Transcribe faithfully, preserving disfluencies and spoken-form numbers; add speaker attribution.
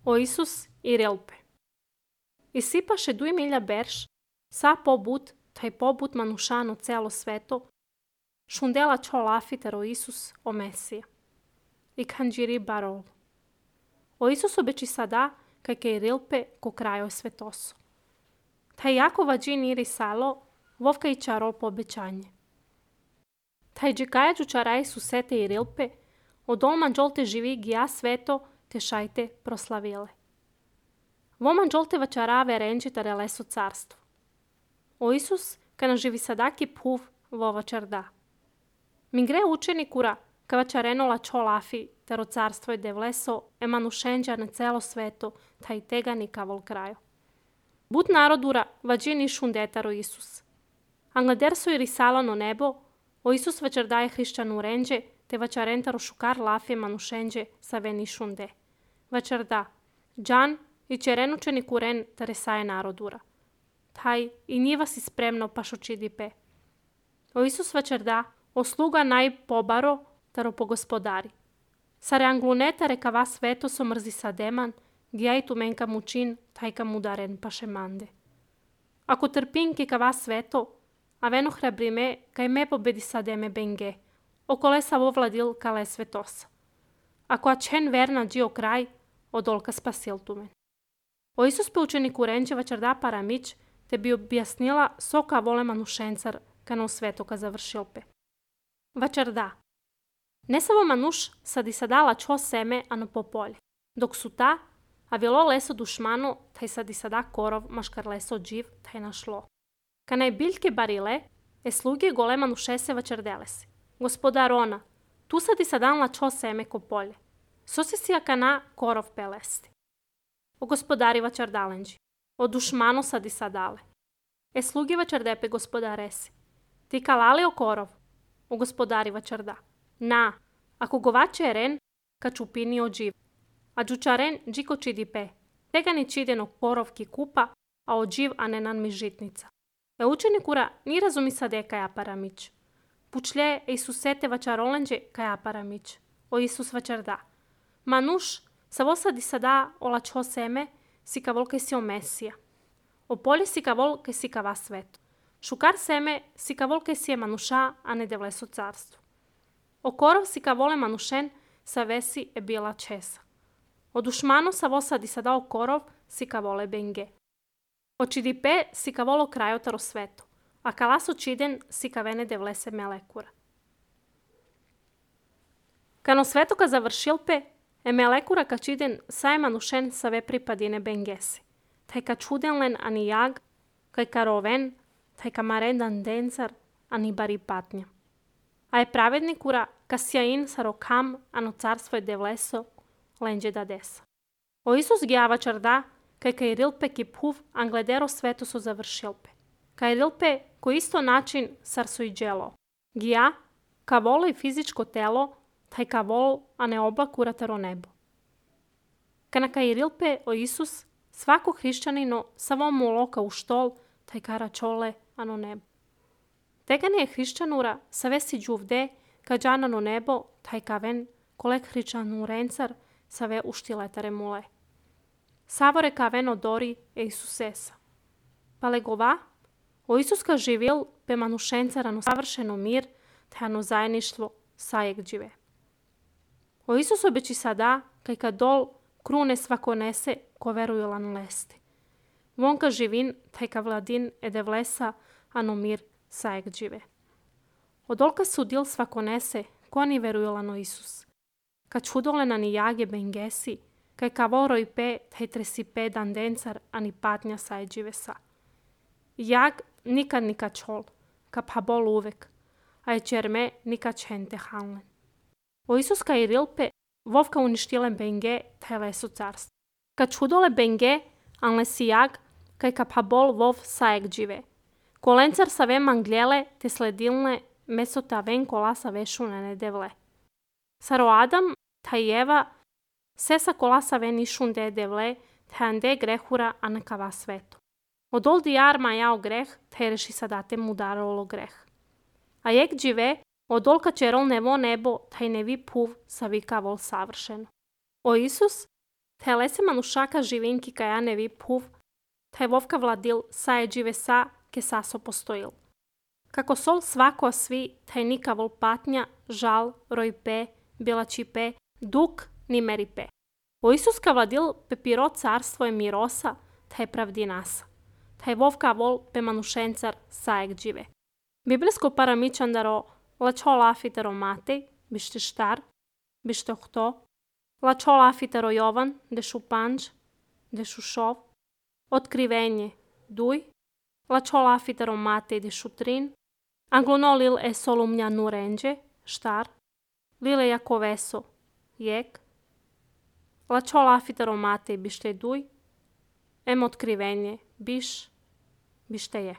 Speaker 1: O Isus i rilpe. I sipaše duj milja berš, sa pobut, taj pobut manušano celo sveto, šundela čo lafiter o Isus o Mesija. I kanđiri barol. O Isus obeči sada, kaj kaj rilpe ko krajo svetoso. Taj Jakova džin iri salo, vovka i čarol po obećanje. Taj džikaja džučaraj su sete i rilpe, od olman džolte živi gija sveto, te šajte proslavile. Voman džolte vačarave renđitare leso carstvo. O Isus, kana živi sadaki puv vova čarda. Mi gre učenikura, ka vačarenola čo lafi, tero carstvo je devleso, emanušenđa na celo sveto, taj tegani kavol krajo. But narodura, vađini šundetaro Isus. Angladerso i risalano nebo, o Isus vačardaje hrišćanu renđe, te vačarentaro šukar lafi manušenđe sa veni šunde. Vačarda, džan i čerenučeni kuren taresaje narodura. Taj i njiva si spremno pašočidipe. O Isus vačarda, o sluga naj pobaro, taro pogospodari. Sare angluneta reka va sveto so mrzi sa deman, gija i tu menka mučin, taj kam udaren paše mande. Ako trpinki ka va sveto, a veno hrabrime, kaj me pobedi sa deme benge, okole sa vovladil kale svetosa. Ako ačen verna džio kraj, odolka spasil tumen. O Isus pe učeniku renđe vačarda paramić, te bi objasnila soka vole manušencar, kana u svetoka završilpe. Vačarda. Ne samo manuš sad i sadala čo seme, ano po polje. Dok su ta, a vilo leso dušmano, taj sad i sada korov, maškar leso dživ, taj našlo. Kana je biljke barile, e sluge gole manušese vačardele se. Gospodar ona, tu sad i sadanla čo seme ko polje. So se sija kana korov pelesti. O gospodari vačardalenđi. O dušmano sad i sadale. E sluge vačardepe gospodaresi. Ti kalali o korov. O gospodari vačarda. Na, ako govače eren, ka čupini o dživ. A džučaren džiko čidipe. Tega ni čideno korovki kupa, a o dživ anenan mi žitnica. E učenikura ni razumi sade kaja paramić. Pučlje e Isusete vačarolenđe kaja paramić. O Isus vačarda. Manuš, savo sad i sada ola čo seme, si ka vol kaj si o Mesija. O polje si ka vol kaj si ka va sveto. Šukar seme si ka vol kaj si je manuša, a ne devleso carstvo. O korov si ka vole manušen, sa vesi e bila česa. O dušmano sa vo sad i sada o korov si ka vole benge. O čidipe si ka volo krajotaro sveto, a kalaso čiden si ka vene devlese melekura. Kano svetoka završilpe, e melekura ka čiden saj manušen sa ve pripadine bengesi. Taj ka čudenlen ani jag, kaj ka roven, taj ka marendan dencar, ani bari patnja. A je pravednikura ka sjain sa rokam, ano carstvo je devleso, lenđe da desa. O Isus gjava čarda, kaj kaj rilpe ki puv angledero sveto su završilpe. Kaj rilpe ko isto način sar su i dželo. Gija, ka volo i fizičko telo, taj ka vol, a ne oblak urataro nebo. Kana kaj rilpe o Isus, svako hrišćanino samo mu loka u štol, taj ka račole, ano nebo. Tega ne je hrišćanura sa vesi džuvde, ka džanano nebo, taj ka ven, kolek hrišćanu rencar, sa ve uštiletare mule. Savore ka ven odori e Isusesa. Pa legova, o Isus ka živil pe manušencarano savršeno mir, te ano zajedništvo sajeg džive. O Isus obeći sada, kaj ka dol krune svako nese, ko veruju lan lesti. Von ka živin, taj ka vladin e devlesa, ano mir sajeg džive. Odolka sudil svako nese, ko ani veruju lano Isus. Ka čudole na ni jage bengesi, kaj ka voro i pe, taj tresi pe dan dencar, ani patnja sajeg džive sa. Jag nikad nika čol, ka pa bol uvek, a je čerme nika čente hanlen. O Isus ka i rilpe, vovka uništile benge, taj leso carstvo. Ka čudole benge, anle si jag, kaj ka pa bol vov sajeg džive. Kolencar sa ve manglele, te sledilne, meso ta ven kola sa vešune ne devle. Saro Adam, taj Eva, se sa kola sa ven išunde devle, te ande grehura, a neka va sveto. Odol di arma jao greh, te reši sadate mu darolo greh. A jek džive, odolka čerol nevo nebo, taj nevi puv sa vika vol savršeno. O Isus, Taj lese manušaka živinki kajane viphuv, taj vovka vladil saje džive sa, ke saso postojil. Kako sol svako svi, taj nika vol patnja, žal, rojpe, bilačipe, duk, ni meripe. O Isuska vladil pepiro carstvo je mirosa, taj pravdi nasa. Taj vovka vol pe manušencar sajek džive. Biblijsko paramičandaro lačo lafitero Matej, bište štar, bište hto, lačo lafitero Jovan, dešu panđ, dešu šov, otkrivenje, duj, lačo lafitero Matej, dešu trin, anglono lil e solumnja nurenđe, štar, lile jakoveso, jek, lačo lafitero Matej, bište duj, em otkrivenje, biš, bište jek.